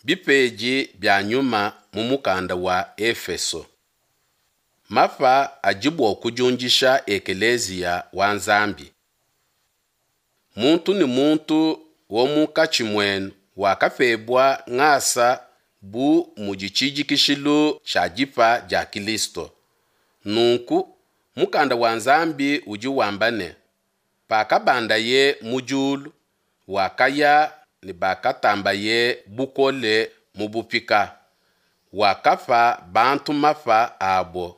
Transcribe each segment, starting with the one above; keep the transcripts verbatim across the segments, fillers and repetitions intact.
Bipedi bia nyuma mu mukanda wa Efeso. Mapa adi bua kudiundisha ekeleziya wa Nzambi. Muntu ne muntu wa munkatshi muenu wakapebua ngasa bu mudi tshidikishilu tshia dipa dia Kilisto. Nunku, mukanda wa Nzambi udi wamba ne, Pakabandaye mu diulu, wakaya ne bakatambaye bukole mu bupika, wakapa bantu mapa abo.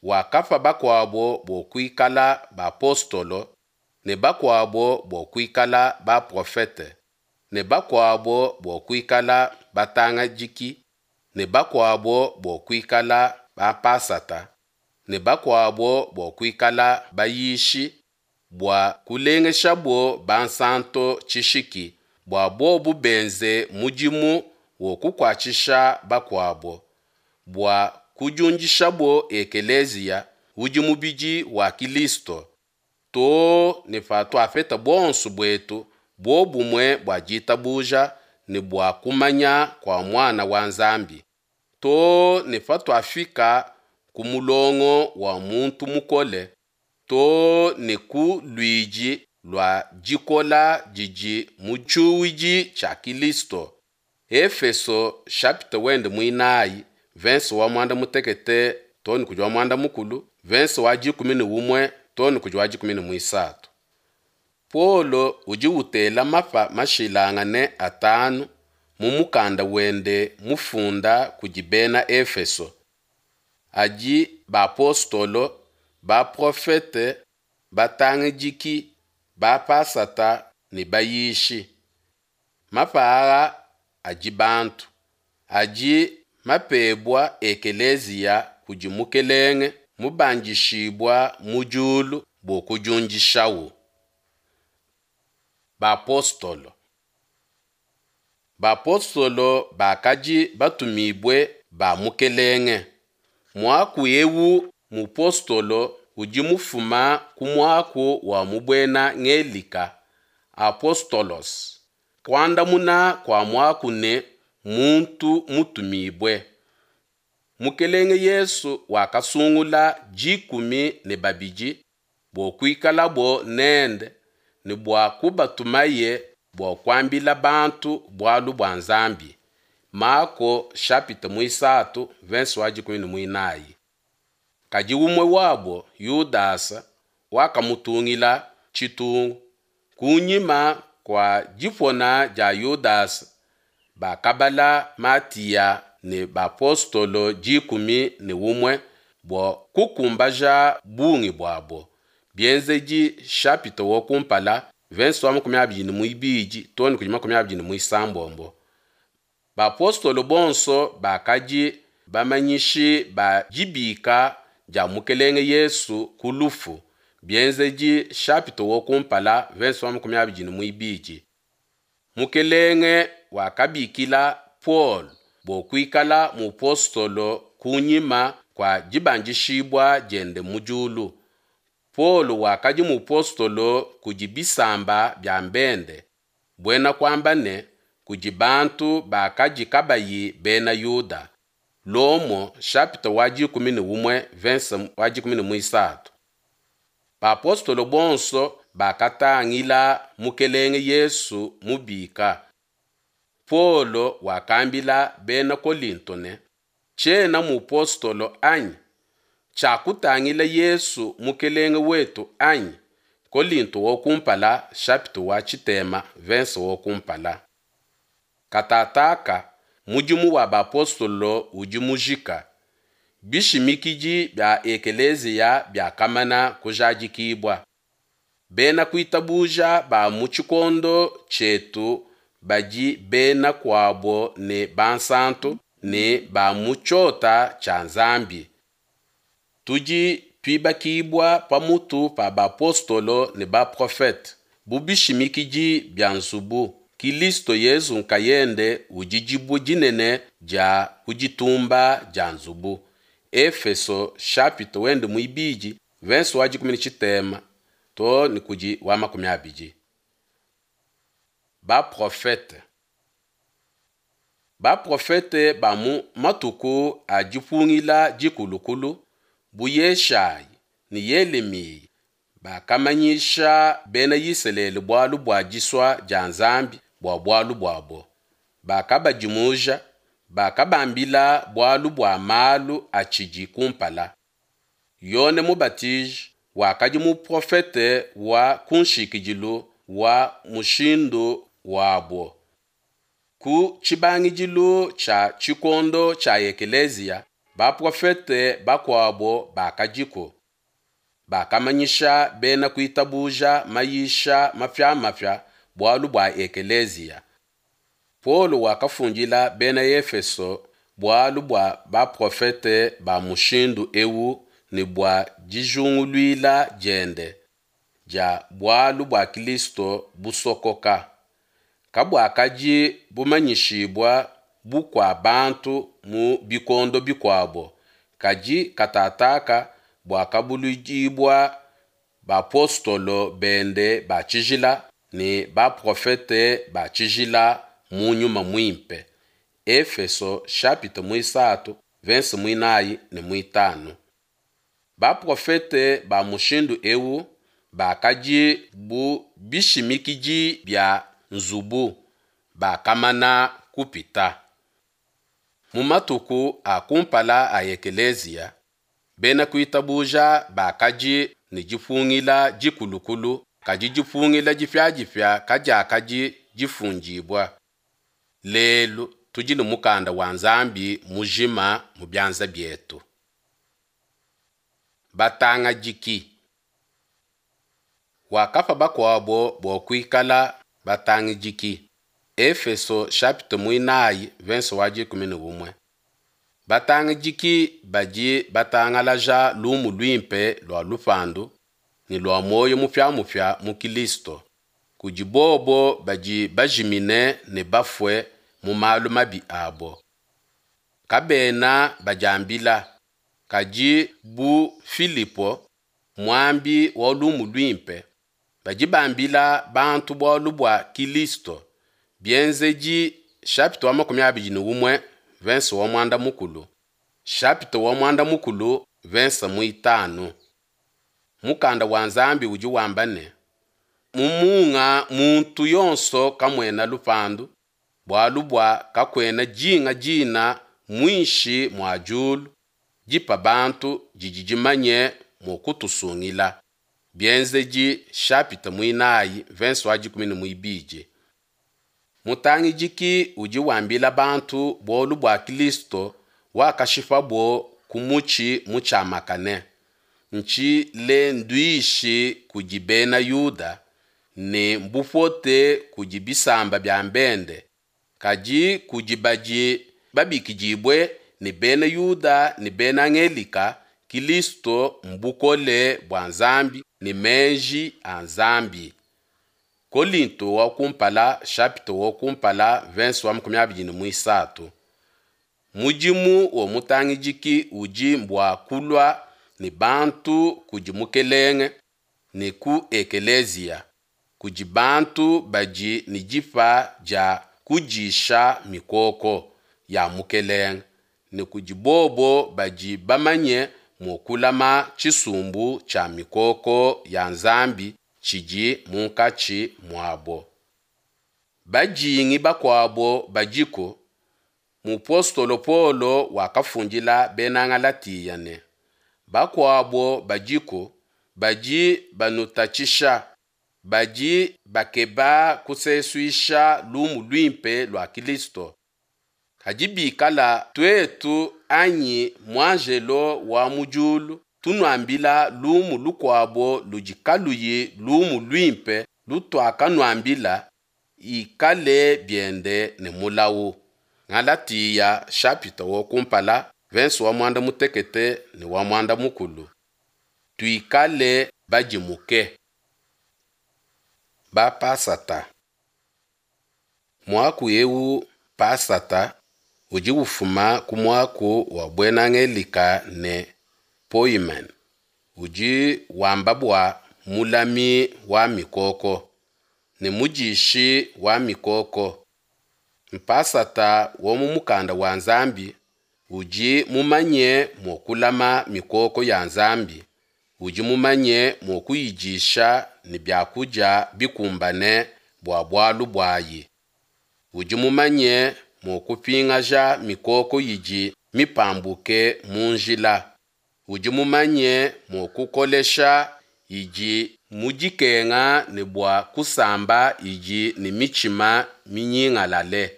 Wakapa bakuabo bua kuikala bapostolo, ne bakuabo bua kuikala baprofete, ne bakuabo bua kuikala batangadiki, ne bakuabo bua kuikala bapasata, ne bakuabo bua kuikala bayishi, bua kulengeshabo bansanto tshishiki, bua bobo benze mudimu wa kukuatshisha bakuabo, bua kudiundishabo ekeleziya, udi mubidi wa Kilisto, too ne patuapeta buonso buetu buobumue bua ditabuja ne bua kumanya kua Muana wa Nzambi, too ne patuafika ku mulongo wa muntu mukole, too ne ku luidi lua dikola didi mu tshiuwidi tshia Kilisto. Efeso chapitre wende muinayi, verse wa muanda mutekete too ne kudi wa muanda mukulu, verse wa dikumi ne umue too ne kudi wa dikumi ne muisatu. Paulo udi utela mapa mashilangane atanu mu mukanda wende mufunda kudi bena Efeso. Adi bapostolo, baprofete, batangidiki, bapasata ne bayishi. Mapa aa adi bantu, adi mapebua ekeleziya kudi Mukelenge mubandishibua mu diulu bua kudiundishawu. Bapostolo. Bapostolo bakadi batumibue ba Mukelenge. Muaku ewu mupostolo udi mufuma ku muaku wa mu buena Ngelika apostolos. Kuandamuna kua muaku ne muntu mutumibue. Mukelenge Yesu wakasungula dikumi ne babidi bua kuikalabo nende ne bua kubatumaye bua kuambila bantu bualu bua Nzambi. Mako chapitre muisatu verse wa dikumi ne muinayi. Kadi umue wabo Yudasa wakamutungila tshitungu. Kunyima kua dipona dia Yudasa, bakabala Matiya ne bapostolo dikumi ne umue bua kukumbaja bungi buabo. Bienzedi chapitre wa kumpala verse wa makumi abidi ne muibidi too ne kudi makumi abidi ne muisambombo. Bapostolo bonso bakadi bamanyishi ba dibika dia Mukelenge Yesu ku lufu. Bienzedi chapitre wa kumpala verse wa makumi abidi ne muibidi. Mukelenge wakabikila Paul bua kuikala mupostolo kunyima kua dibandishibua diende mu diulu. Paul wakadi mupostolo kudi bisamba bia bende, buena kuamba ne kudi bantu bakadi kabayi bena Yuda. Lomo chapitre wa dikumi ne umue verse wa dikumi ne muisatu. Bapostolo bonso bakatangila Mukelenge Yesu mubika. Paulo wakambila bena Kolinto ne, Tshiena mupostolo anyi? Tshiakutangila Yesu Mukelenge wetu anyi? Kolinto wa kumpala chapitre wa tshitema verse wa kumpala. Katataka mudimu wa bapostolo udi mujika. Bishimikidi bia ekeleziya biakamana kujadikibua. Bena kuitabuja ba mu tshikondo tshietu badi bena kuabo ne bansanto ne ba mu tshiota tshia Nzambi. Tudi tuibakibua pamutu pa bapostolo ne baprofete bu bishimikidi bia nzubu. Kilisto Yesu nkayende udi dibue dinene dia ku ditumba dia nzubu. Efeso chapitre wende muibidi verse wa dikumi ne tshitema too ne kudi wa makumi abidi. Baprofete. Baprofete ba mu matuku a dipungila dikulukulu, bu Yeshayi ne Yelemiya, bakamanyisha Bena Isalele bualu bua disua dia Nzambi bua bualu buabo. Bakabadimuja, bakabambila bualu bua malu atshidi kumpala. Yone Mubatiji wakadi muprofete wa kunshikidilu wa mushindu wabo. Ku tshibangidilu tshia tshikondo tshia ekeleziya, baprofete bakuabo bakadiku, bakamanyisha bena kuitabuja mayisha mapia-mapia bualu bua ekeleziya. Paulo wakafundila Bena Efeso bualu bua baprofete ba mushindu ewu ne bua dijunguluila diende dia bualu bua Kilisto busokoka. Kabuakadi bumanyishibua bukua bantu mu bikondo bikuabo, kadi katataka buakabuluidibua bapostolo bende ba tshijila ne baprofete ba tshijila mu Nyuma Muimpe. Efeso chapitre muisatu, verse muinayi ne muitanu. Baprofete ba mushindu ewu bakadi bu bishimikidi bia nzubu, bakamana kupita. Mu matuku a kumpala a ekeleziya, bena kuitabuja bakadi ne dipungila dikulukulu, kadi dipungila dipia-dipia kadiakadi difundibua. Lelu tudi ne mukanda wa Nzambi mujima mu bianza bietu. Batangadiki. Wakapa bakuabo bua kuikala batangidiki. Efeso chapitre muinayi verse wa dikumi ne umue. Batangidiki badi batangalaja lumu luimpe lua lupandu ne lua muoyo mupia-mupia mu Kilisto, kudi bobo badi bajimine ne bafue mu malu mabi abo. Kabena badiambila, kadi bu Filipo, muambi wa lumu luimpe, badi bambila bantu bualu bua Kilisto. Bienzedi chapitre wa makumi abidi ne umue verse wa muanda mukulu, chapitre wa muanda mukulu verse muitanu. Mukanda wa Nzambi udi wamba ne, mu munga muntu yonso kamuena lupandu, bualu bua kakuena dinga dina muinshi mua diulu dipa bantu didi dimanye mua kutusungila. Bienzedi chapitre muinayi verse wa dikumi ne muibidi. Mutangidiki udi wambila bantu bualu bua Kilisto wakashipabo ku mutshi mutshiamakane. Ntshilenduishi kudi bena Yuda ne mbupote kudi bisamba bia bende, kadi kudi badi babikidibue ne bena Yuda ne bena Ngelika, Kilisto mbukole bua Nzambi ne meji a Nzambi. Kolinto wa kumpala chapitre wa kumpala verse wa makumi abidi ne muisatu. Mudimu wa mutangidiki udi mbua kulua ne bantu kudi Mukelenge ne ku ekeleziya, kudi bantu badi ne dipa dia kudisha mikoko ya Mukelenge, ne kudi bobo badi bamanye mua kulama tshisumbu tshia mikoko ya Nzambi tshidi munkatshi muabo. Bajingi bakuabo badiku. Mupostolo Paulo wakafundila Bena Galatia ne, bakuabo badiku badi banutatshisha, badi bakeba kusesuisha lumu luimpe lua Kilisto. Kadi bikala tuetu anyi muanjelo wa mu diulu tunuambila lumu lukuabo ludi kaluyi lumu luimpe lutuakanuambila, ikale biende ne mulawu. Galatia chapitre wa kumpala verse wa muanda mutekete ne wa muanda mukulu. Tuikale badimuke. Bapasata. Muaku ewu pasata udi ufuma ku muaku wa buena Ngelika ne poimen, udi wamba bua mulami wa mikoko ne mudishi wa mikoko. Mpasata wa mu mukanda wa Nzambi udi mumanye mua kulama mikoko ya Nzambi, udi mumanye mua kuyidisha ne biakudia bikumbane bua bualu buayi. Udi mumanye mua kupingaja mikoko idi mipambuke mu njila. Udi mumanye mua kukolesha idi mu dikenga ne bua kusamba idi ne mitshima minyingalale.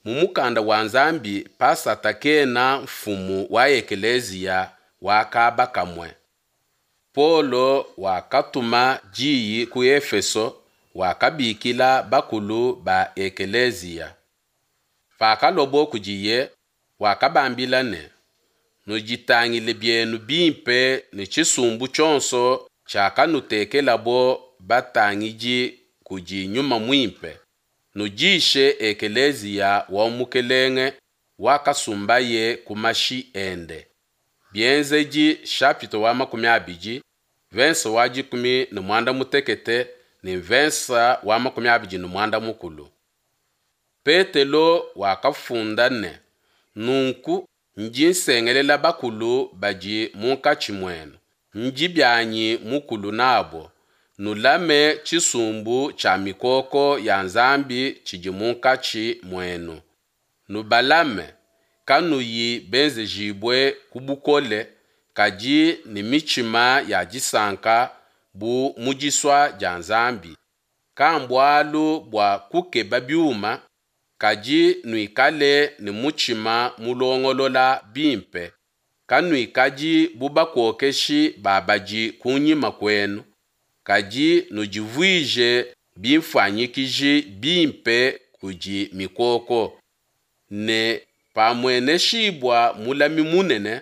Mu mukanda wa Nzambi pasata kena mfumu wa ekeleziya wa kaba kamue. Paulo wakatuma diyi ku Efeso, wakabikila bakulu ba ekeleziya. Pakaluabo kudiye, wakabambila ne, Nuditangile bienu bimpe ne tshisumbu tshionso tshiakanutekelabo batangidi kudi Nyuma Muimpe, nudishe ekeleziya wa Mukelenge wakasumbaye ku mashi ende. Bienzedi chapitre wa makumi abidi, verse wa dikumi ne muanda mutekete ne verse wa makumi abidi ne muanda mukulu. Petelo wakafunda ne, Nunku ndi nsengelela bakulu badi munkatshi muenu, ndi bianyi mukulu nabo, nulame tshisumbu tshia mikoko ya Nzambi tshidi munkatshi muenu. Nubalame, kanuyi benzejibue ku bukole, kadi ne mitshima ya disanka bu mu disua dia Nzambi, kambualu bua kukeba biuma, kadi nuikale ne mutshima mulongolola bimpe, kanuikadi bu bakokeshi ba badi kunyima kuenu, kadi nudivuije bimfuanyikiji bimpe kudi mikoko. Ne pamueneshibua mulami munene,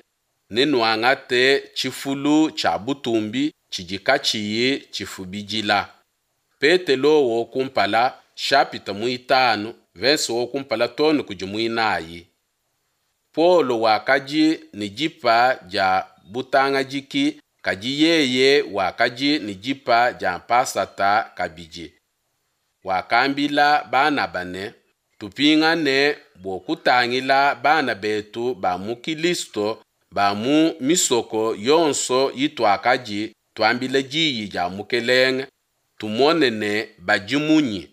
nenuangate tshifulu tshia butumbi tshidi katshiyi tshifubidila. Petelo wo kumpala chapitre muitanu verse wo kumpala too ne kudi muinayi. Paulo wakadi ne dipa dia butangadiki kadi yeye wakadi ne dipa dia mpasata kabidi. Wakambila Banaba ne, Tupingane bua kutangila bana betu ba mu Kilisto ba mu misoko yonso ituakadi tuambila diyi dia Mukelenge, tumone ne badi munyi.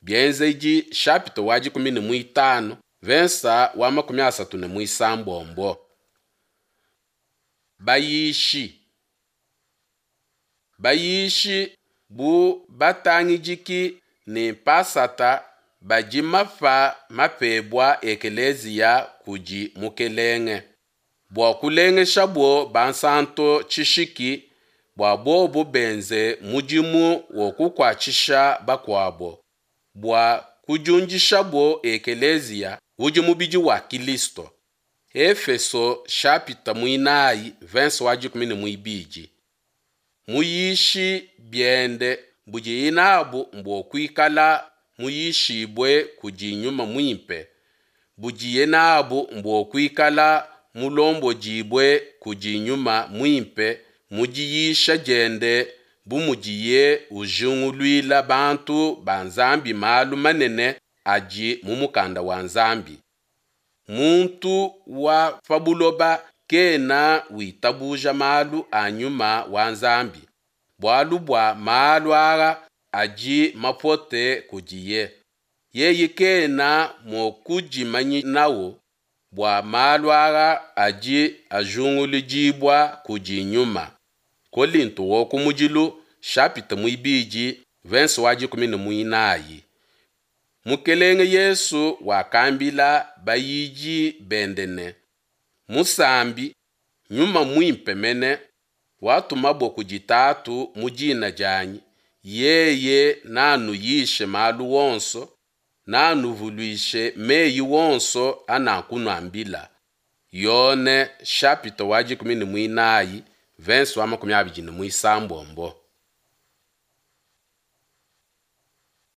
Bienzedi chapitre wa dikumi ne muitanu verse wa makumi asatu ne muisambombo. Bayishi Bayishi bu batangidiki ne mpasata badi mapa mapebua ekeleziya kudi Mukelenge, bua kulengeshabo bansanto tshishiki bua bobo benze mudimu wa kukuatshisha bakuabo, bua kudiundishabo ekeleziya udi mubidi wa Kilisto. Efeso chapitre muinayi verse wa dikumi ne muibidi. Muyishi biende budiye nabu mbua kuikala muyishibue kudi Nyuma Muimpe, budiye nabu mbua kuikala mulombodibue kudi Nyuma Muimpe mu diyisha diende bu mudiye ujinguluila bantu ba Nzambi malu manene adi mu mukanda wa Nzambi. Muntu wa pa buloba kena witabuja malu a Nyuma wa Nzambi, bualu bua malu aa adi mapote kudiye. Yeye kena mua kudimanyinawu bua malu aa adi ajinguludibua kudi Nyuma. Kolinto wa kumudilu chapitre muibidi verse wa dikumi ne muinayi. Mukelenge Yesu wakambila bayidi bende ne, Musambi, Nyuma Muimpe mene, watumabo kudi Tatu mu dina dianyi, yeye nanuyishe malu onso, nanuvuluishe meyi onso anakunuambila. Yone chapitre wa dikumi ne muinayi verse wa makumi abidi ne muisambombo.